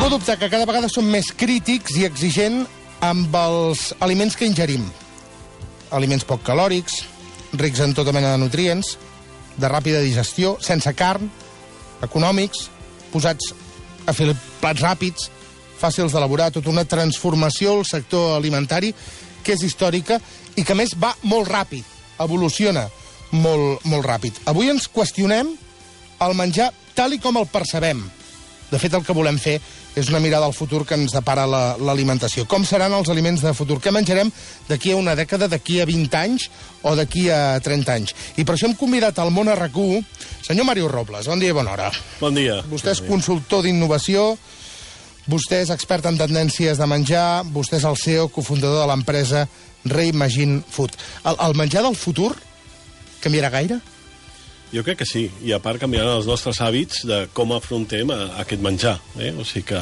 Ningú dubta que cada vegada som més crítics i exigents amb els aliments que ingerim. Aliments poc calòrics, rics en tota mena de nutrients, de ràpida digestió, sense carn, econòmics, posats a fer plats ràpids, fàcils d'elaborar, tota una transformació al sector alimentari que és històrica i que, a més, va molt ràpid, evoluciona molt ràpid. Avui ens qüestionem el menjar tal i com el percebem. De fet, el que volem fer és una mirada al futur que ens depara l'alimentació. Com seran els aliments de futur? Què menjarem d'aquí a una dècada, d'aquí a 20 anys o d'aquí a 30 anys? I per això hem convidat al món RAC1 senyor Màrius Robles. Bon dia i bona hora. Bon dia. Vostè és consultor d'innovació, vostè és expert en tendències de menjar, vostè és el CEO, cofundador de l'empresa Reimagine Food. El menjar del futur canviarà gaire? Jo crec que sí, i a part canviaran els nostres hàbits de com afrontem aquest menjar. O sigui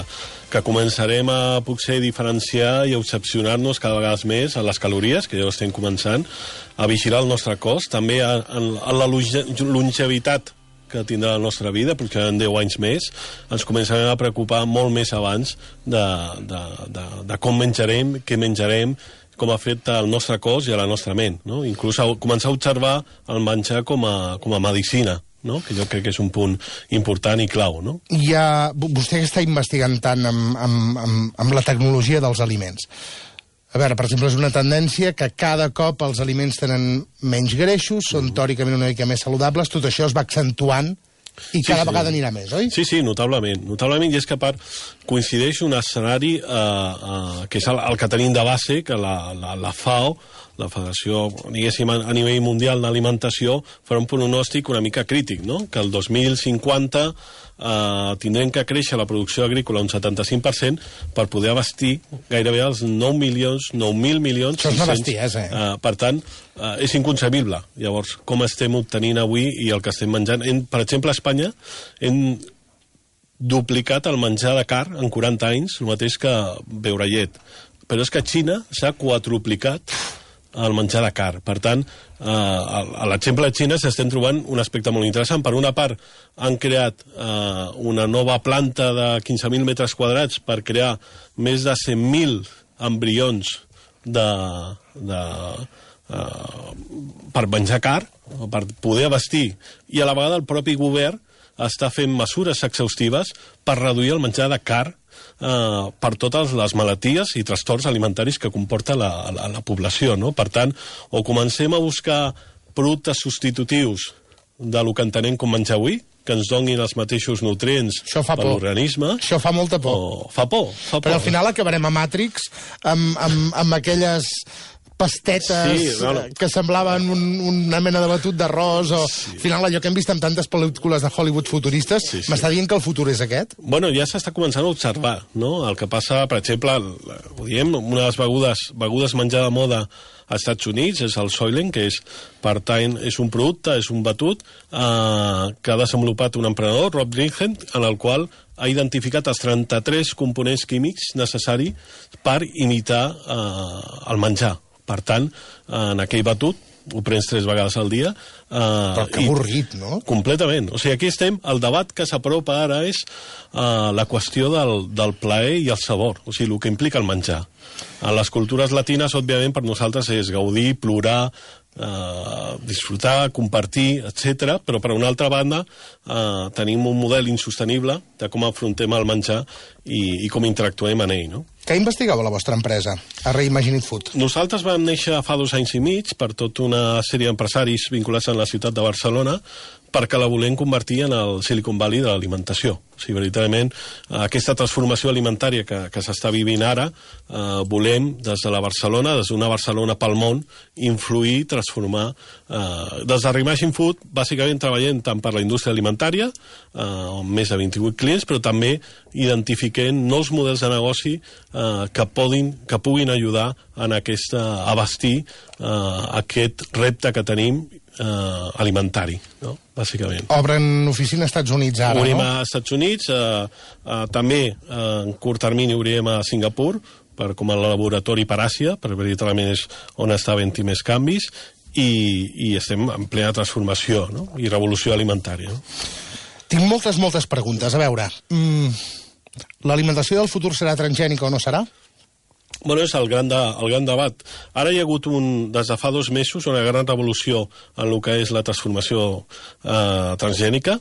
que començarem a potser diferenciar i a excepcionar-nos cada vegada més a les calories, que ja ho estem començant, a vigilar el nostre cos, també a la longevitat que tindrà la nostra vida, perquè en 10 anys més ens començarem a preocupar molt més abans de com menjarem, què menjarem, com afecta el nostre cos i a la nostra ment, no? Inclús començar a observar el menjar com a medicina, no? Que jo crec que és un punt important i clau, no? Vostè està investigant tant amb la tecnologia dels aliments. A veure, per exemple, és una tendència que cada cop els aliments tenen menys greixos, són teòricament una mica més saludables, tot això es va accentuant i cada vegada anirà més, oi? Sí, notablement. Notablement, i és que a part coincideix un escenari que és el que tenim de base, que la FAO, la Federació, diguéssim, a nivell mundial d'alimentació, farà un pronòstic una mica crític, no? Que el 2050 tindrem que créixer la producció agrícola un 75% per poder abastir gairebé els 9.000 milions... Això és una bestiesa, Per tant, és inconcebible. Llavors, com estem obtenint avui i el que estem menjant... Per exemple, a Espanya hem duplicat el menjar de carn en 40 anys, el mateix que beure llet. Però és que a Xina s'ha quadruplicat el menjar de carn. Per tant, a l'exemple de Xina s'estem trobant un aspecte molt interessant. Per una part, han creat una nova planta de 15.000 metres quadrats per crear més de 100.000 embrions per menjar carn, per poder abastir. I a la vegada el propi govern està fent mesures exhaustives per reduir el menjar de carn per totes les malalties i trastorns alimentaris que comporta la població, no? Per tant, o comencem a buscar productes substitutius del que entenem com menjar avui, que ens donin els mateixos nutrients per l'organisme. Això fa molta por. Fa por. Però al final acabarem a Matrix amb aquelles pastetes que semblaven una mena de batut d'arròs o al final allò que hem vist en tantes pel·lícules de Hollywood futuristes. M'està dient que el futur és aquest? Bueno, ja s'està començant a observar, no? El que passa, per exemple, ho diem, una de les begudes menjar de moda als Estats Units és el Soylent, que és un producte, és un batut que ha desenvolupat un emprenedor, Rob Greenhand, en el qual ha identificat els 33 components químics necessaris per imitar el menjar. Per tant, en aquell batut, ho prens 3 vegades al dia. Però que avorrit, no? Completament. O sigui, aquí estem, el debat que s'apropa ara és la qüestió del plaer i el sabor, o sigui, el que implica el menjar. A les cultures latines, òbviament, per nosaltres és gaudir, plorar, disfrutar, compartir, etc. Però per una altra banda tenim un model insostenible de com afrontem el menjar i com interactuem en ell, no? Què investigava la vostra empresa, a Reimagine Food? Nosaltres vam néixer fa 2 anys i mig per tota una sèrie d'empresaris vinculats a la ciutat de Barcelona perquè la volem convertir en el Silicon Valley de l'alimentació. O sigui, veritablement, aquesta transformació alimentària que s'està vivint ara, volem, des de la Barcelona, des d'una Barcelona pel món, influir, transformar. Des de Reimagine Food, bàsicament treballem tant per la indústria alimentària, amb més de 28 clients, però també identifiquem nous models de negoci que puguin ajudar en abastir aquest repte que tenim alimentari, no? Bàsicament. Obren oficina als Estats Units ara, obrim a Estats Units, també en curt termini obrirem a Singapur com a laboratori per Àsia, perquè veritablement és on està havent-hi més canvis, i estem en plena transformació, no? I revolució alimentària. No? Tinc moltes preguntes. A veure, L'alimentació del futur serà transgènica o no serà? Bueno, és el gran debat. Ara hi ha hagut, des de fa 2 mesos, una gran revolució en el que és la transformació transgènica.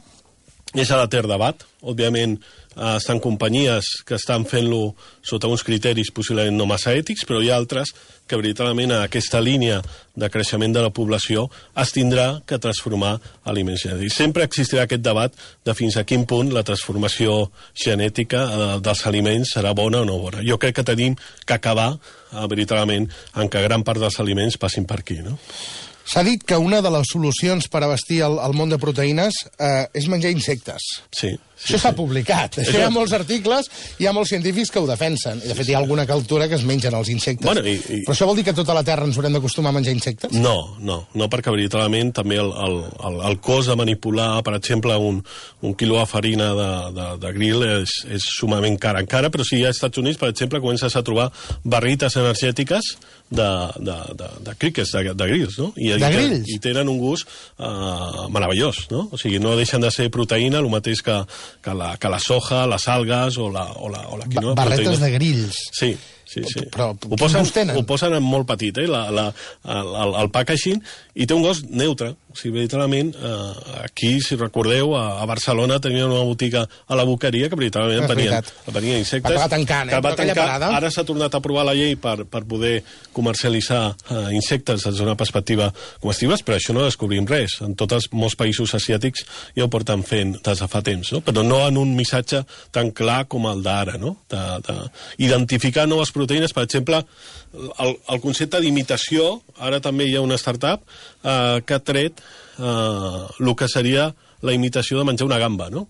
És a l'etern debat. Òbviament, estan companyies que estan fent-lo sota uns criteris possiblement no massa ètics, però hi ha altres que veritablement a aquesta línia de creixement de la població es tindrà que transformar aliments genètics. Sempre existirà aquest debat de fins a quin punt la transformació genètica dels aliments serà bona o no bona. Jo crec que tenim que acabar veritablement en què gran part dels aliments passin per aquí, no? S'ha dit que una de les solucions per abastir el món de proteïnes és menjar insectes. Sí. Això s'ha publicat. Això hi ha molts articles, hi ha molts científics que ho defensen. I, de fet, hi ha alguna cultura que es mengen els insectes. Bueno, Però això vol dir que a tota la Terra ens haurem d'acostumar a menjar insectes? No, perquè veritablement també el cost de manipular, per exemple, un quilo de farina de grill és sumament car encara, però si a Estats Units, per exemple, comences a trobar barrites energètiques de crickets, de grills, no? De grills? I tenen un gust meravellós, no? O sigui, no deixen de ser proteïna, el mateix que la soja, les algues o la quinoa. Barretes de grills. Sí. Però ho posen en molt petit, el packaging, i té un gust neutre. O sigui, veritablement, aquí, si recordeu, a Barcelona tenien una botiga a la Boqueria que veritablement venia insectes. Va tancant, Ara s'ha tornat a aprovar la llei per poder comercialitzar insectes des d'una perspectiva comestibles, però això no descobrim res. En tots molts països asiàtics ja ho porten fent des de fa temps, no? Però no en un missatge tan clar com el d'ara, no? D'identificar noves proteïnes, per exemple, el concepte d'imitació. Ara també hi ha una startup que ha tret el que seria la imitació de menjar una gamba, no?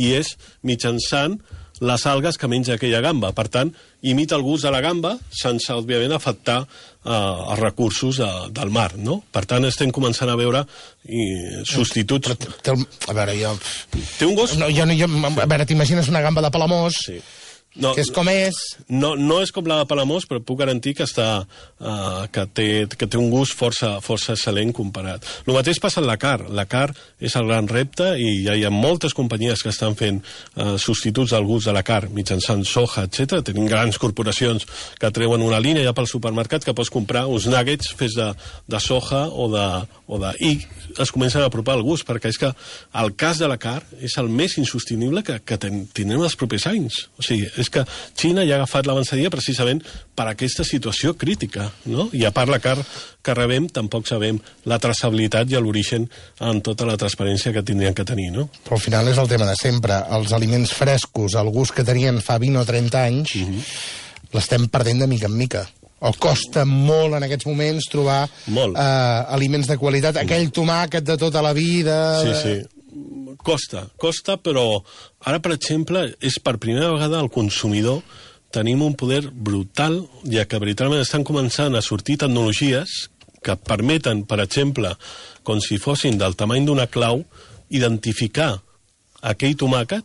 I és mitjançant les algues que menja aquella gamba. Per tant, imita el gust de la gamba sense, òbviament, afectar els recursos del mar, no? Per tant, estem començant a veure substituts. A veure, jo... Té un gust? A veure, t'imagines una gamba de Palamós... Sí. Que és com és... No és com la de Palamós, però puc garantir que té un gust força excel·lent comparat. El mateix passa en la carn. La carn és el gran repte i ja hi ha moltes companyies que estan fent substituts del gust de la carn mitjançant soja, etc. Tenim grans corporacions que treuen una línia ja pel supermercat que pots comprar uns nuggets fets de soja i es comencen a apropar al gust, perquè és que el cas de la carn és el més insostenible que tindrem els propers anys. O sigui, és que Xina ja ha agafat l'avançadilla precisament per aquesta situació crítica, no? I a part la carn que rebem tampoc sabem la traçabilitat i l'origen en tota la transparència que tindrien que tenir, no? Però al final és el tema de sempre. Els aliments frescos, el gust que tenien fa 20 o 30 anys, l'estem perdent de mica en mica. O costa molt en aquests moments trobar aliments de qualitat. Aquell tomàquet de tota la vida... Sí. Costa, però ara, per exemple, és per primera vegada el consumidor tenim un poder brutal, ja que veritablement estan començant a sortir tecnologies que permeten, per exemple, com si fossin del tamany d'una clau, identificar aquell tomàquet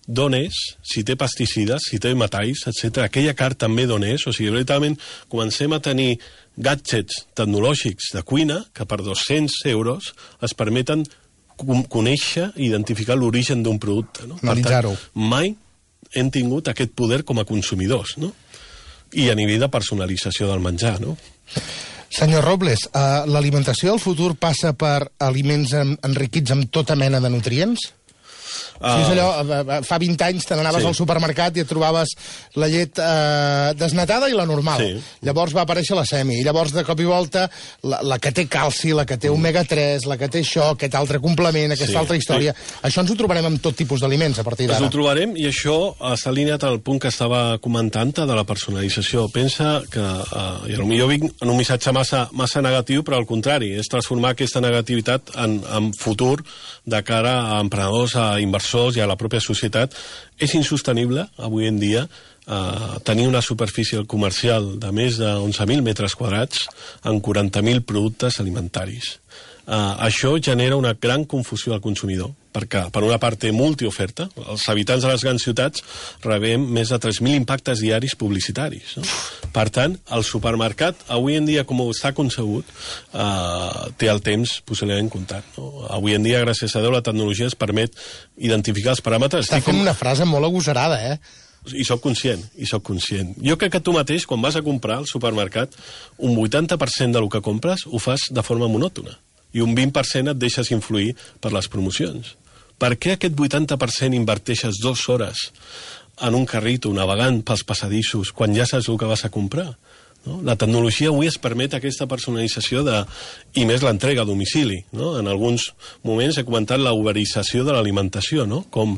d'on és, si té pesticides, si té metalls, etc. Aquella carn també d'on és. O sigui, veritablement comencem a tenir gadgets tecnològics de cuina que per 200 euros es permeten conèixer i identificar l'origen d'un producte, no? Analitzar-ho. Mai hem tingut aquest poder com a consumidors, no? I a nivell de personalització del menjar, no? Senyor Robles, l'alimentació del futur passa per aliments enriquits amb tota mena de nutrients? És allò, fa 20 anys te n'anaves al supermercat i et trobaves la llet desnatada i la normal. Llavors va aparèixer la semi, i llavors de cop i volta la que té calci, la que té omega-3, la que té això, aquest altre complement, aquesta altra història. Això ens ho trobarem amb tot tipus d'aliments a partir d'ara. Ens ho trobarem, i això està alineat al punt que estava comentant de la personalització. Pensa que, i potser jo vinc en un missatge massa negatiu, però al contrari, és transformar aquesta negativitat en futur de cara a emprenedors, a inversors i a la pròpia societat. És insostenible, avui en dia, tenir una superfície comercial de més de 11.000 metres quadrats en 40.000 productes alimentaris. Això genera una gran confusió al consumidor, perquè per una part té multioferta. Els habitants de les grans ciutats rebem més de 3.000 impactes diaris publicitaris, no? Per tant, el supermercat, avui en dia, com està concebut, té el temps possiblement comptat, no? Avui en dia, gràcies a Déu, la tecnologia es permet identificar els paràmetres. Està fent una frase molt agosarada, I soc conscient. Jo crec que tu mateix, quan vas a comprar al supermercat, un 80% del que compres ho fas de forma monòtona i un 20% et deixes influir per les promocions. Per què aquest 80% inverteixes 2 hores en un carrito navegant pels passadissos quan ja saps el que vas a comprar? No? La tecnologia avui es permet aquesta personalització i més l'entrega a domicili, no? En alguns moments he comentat la uberització de l'alimentació, no? Com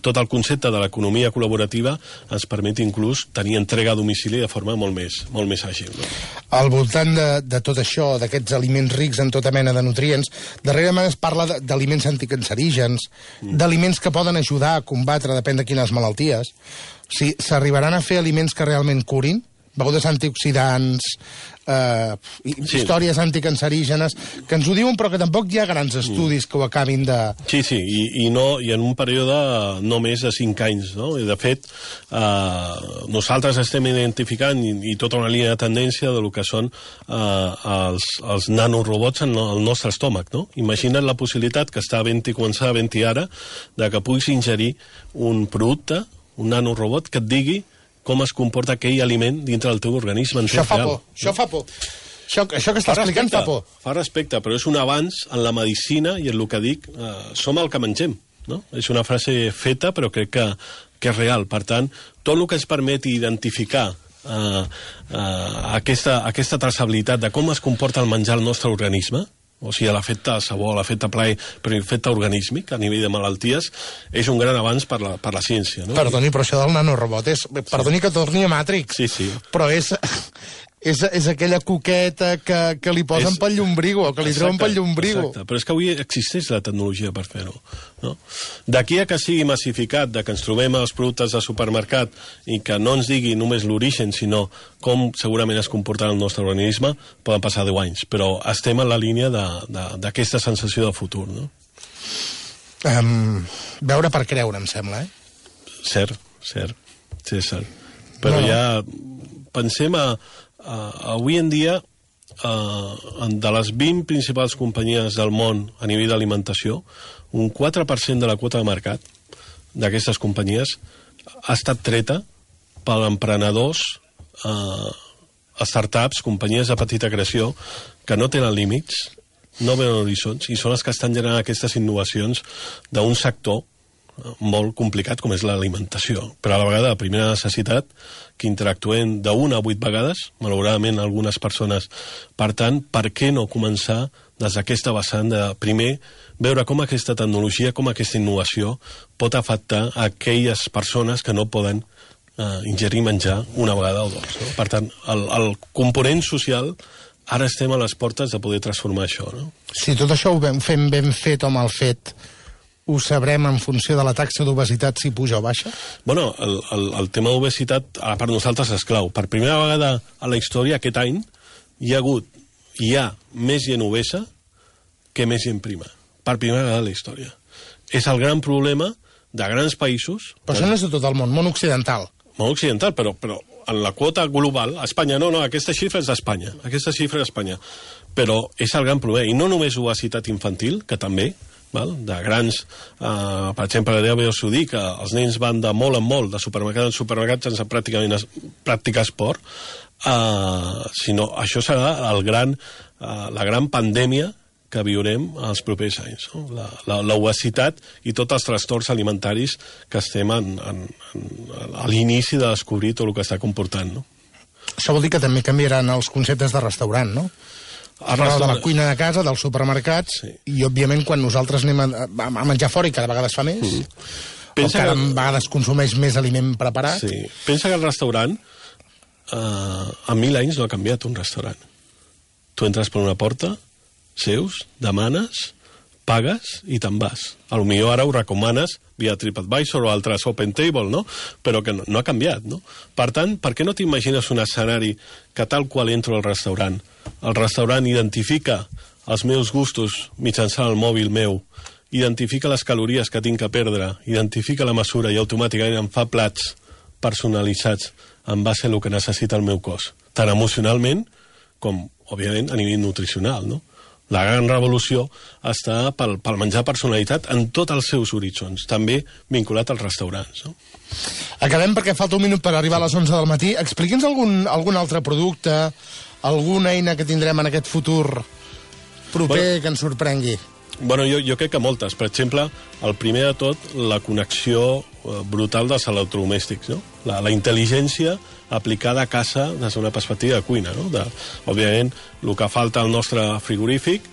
tot el concepte de l'economia col·laborativa ens permet inclús tenir entrega a domicili de forma molt més àgil, no? Al voltant de tot això, d'aquests aliments rics en tota mena de nutrients, darrerament es parla d'aliments anticancerígens, d'aliments que poden ajudar a combatre, depèn de quines malalties. Si s'arribaran a fer aliments que realment curin, begudes antioxidants, històries anticancerígenes, que ens ho diuen però que tampoc hi ha grans estudis que ho acabin de... Sí, i en un període no més de 5 anys, no? I de fet, nosaltres estem identificant i tota una línia de tendència del que són els nanorobots en el nostre estómac, no? Imagina't la possibilitat que està començar a havent-hi ara de que puguis ingerir un producte, un nanorobot, que et digui com es comporta aquell aliment dintre del teu organisme. Això fa por. Això que està explicant fa por. Fa respecte, però és un avanç en la medicina i en el que dic, som el que mengem, no? És una frase feta, però crec que és real. Per tant, tot el que ens permeti identificar aquesta traçabilitat de com es comporta el menjar al nostre organisme, o sigui, l'efecte sabor, l'efecte plaer, però l'efecte organísmic a nivell de malalties, és un gran avanç per la ciència, no? Perdoni, però això del nanorobot és... Perdoni que torni a Matrix. Sí. Però és aquella coqueta que li posen pel llombrigo, o que li treuen pel llombrigo. Exacte, però és que avui existeix la tecnologia per fer-ho, no? D'aquí a que sigui massificat, que ens trobem els productes de supermercat i que no ens digui només l'origen, sinó com segurament es comportarà el nostre organisme, poden passar 10 anys, però estem en la línia d'aquesta sensació de futur, no? Veure per creure, em sembla, Cert. Sí, cert. Però ja pensem avui en dia, de les 20 principals companyies del món a nivell d'alimentació, un 4% de la quota de mercat d'aquestes companyies ha estat treta per emprenedors, startups, companyies de petita creació, que no tenen límits, no veuen horizons, i són els que estan generant aquestes innovacions d'un sector molt complicat com és l'alimentació, però a la vegada de primera necessitat, que interactuem d'1 a 8 vegades, malauradament algunes persones. Per tant, per què no començar des d'aquesta vessant de, primer, veure com aquesta tecnologia, com aquesta innovació pot afectar a aquelles persones que no poden ingerir menjar una vegada o dues, no? Per tant, el component social, ara estem a les portes de poder transformar això, no? Si tot això ho fem ben fet o mal fet, ho sabrem en funció de la taxa d'obesitat si puja o baixa? Bueno, el tema d'obesitat per nosaltres és clau. Per primera vegada a la història, aquest any, hi ha més gent obesa que més gent prima. Per primera vegada a la història. És el gran problema de grans països... Però això no és de tot el món occidental. Món occidental, però en la quota global, a Espanya, no, aquesta xifra és d'Espanya. Aquesta xifra és d'Espanya. Però és el gran problema. I no només obesitat infantil, que també, de grans, per exemple, ja us ho dic, els nens van de molt en molt, de supermercat en supermercat, sense pràcticament practicar esport, sinó això serà la gran pandèmia que viurem els propers anys, no? L'obesitat i tots els trastorns alimentaris que estem a l'inici de descobrir tot el que està comportant, no? Això vol dir que també canviaran els conceptes de restaurant, no? De la cuina de casa, dels supermercats, sí. I òbviament quan nosaltres anem a menjar fora i cada vegada es fa més, o cada vegada es consumeix més aliment preparat. Sí. Pensa que el restaurant en 1000 anys no ha canviat un restaurant. Tu entres per una porta, seus, demanes, pagues i te'n vas. Potser ara ho recomanes via TripAdvisor o altres Open Table, no? Però que no ha canviat, no? Per tant, per què no t'imagines un escenari que tal qual entro al restaurant, el restaurant identifica els meus gustos mitjançant el mòbil meu identifica les calories que tinc que perdre, identifica la mesura i automàticament em fa plats personalitzats en base a el que necessita el meu cos, tant emocionalment com, òbviament, a nivell nutricional, no? La gran revolució està pel menjar personalitzat en tots els seus horitzons, també vinculat als restaurants, no? Acabem perquè falta un minut per arribar a les 11 del matí. Expliqui'ns algun altre producte, alguna eina que tindrem en aquest futur proper que ens sorprengui. Bueno, jo crec que moltes. Per exemple, el primer de tot, la connexió brutal dels electrodomèstics, no? La intel·ligència aplicada a casa des d'una perspectiva de cuina, no? Òbviament, el que falta al nostre frigorífic,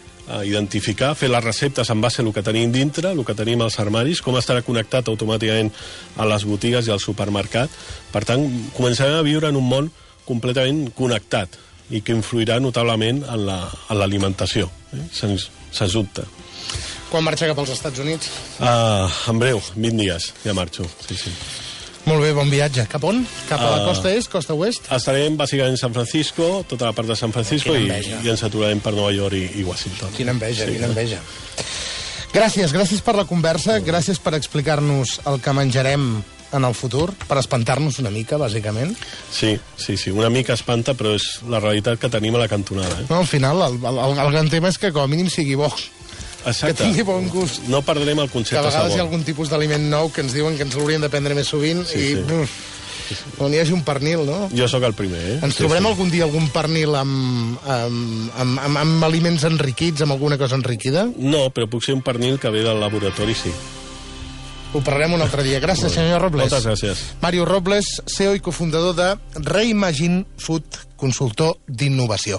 identificar, fer les receptes en base a el que tenim dintre, el que tenim als armaris, com estarà connectat automàticament a les botigues i al supermercat. Per tant, començarem a viure en un món completament connectat i que influirà notablement en l'alimentació, sens dubte. Quan marxa cap als Estats Units? En breu, 20 dies, ja marxo. Sí. Molt bé, bon viatge. Cap on? Cap a la costa est, costa oest? Estarem bàsicament en San Francisco, tota la part de San Francisco, i ens aturarem per Nova York i Washington. Quina enveja, quina enveja. Gràcies per la conversa, gràcies per explicar-nos el que menjarem en el futur, per espantar-nos una mica, bàsicament. Sí, una mica espanta, però és la realitat que tenim a la cantonada. No, al final, el gran tema és que com a mínim sigui bo. Exacte. Que tingui bon gust. No perdrem el concepte sabor. Que a vegades sabor. hi ha algun tipus d'aliment nou que ens diuen que ens l'hauríem de prendre més sovint i on hi hagi un pernil, no? Jo sóc el primer, Ens trobarem algun dia algun pernil amb aliments enriquits, amb alguna cosa enriquida? No, però puc ser un pernil que ve del laboratori, sí. Ho parlarem un altre dia. Gràcies, senyor Robles. Moltes gràcies. Mario Robles, CEO i cofundador de Reimagine Food, consultor d'innovació.